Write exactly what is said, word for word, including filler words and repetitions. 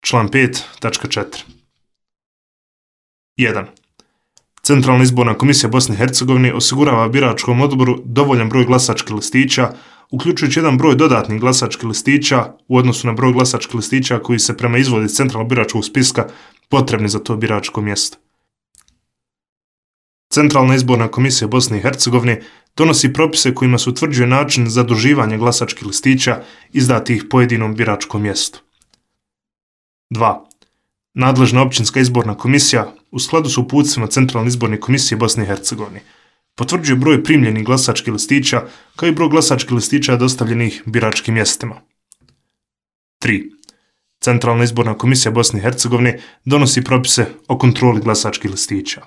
Član pet tačka četiri. jedan. Centralna izborna komisija Bosne i Hercegovine osigurava biračkom odboru dovoljan broj glasačkih listića, uključujući jedan broj dodatnih glasačkih listića u odnosu na broj glasačkih listića koji se prema izvodu iz centralnog biračkog spiska potrebni za to biračko mjesto. Centralna izborna komisija Bosne i Hercegovine donosi propise kojima se utvrđuje način zaduživanja glasačkih listića izdatih pojedinom biračkom mjestu. dva. Nadležna općinska izborna komisija u skladu s uputstvima Centralne izborne komisije Bosne i Hercegovine potvrđuje broj primljenih glasačkih listića kao i broj glasačkih listića dostavljenih biračkim mjestima. tri. Centralna izborna komisija Bosne i Hercegovine donosi propise o kontroli glasačkih listića.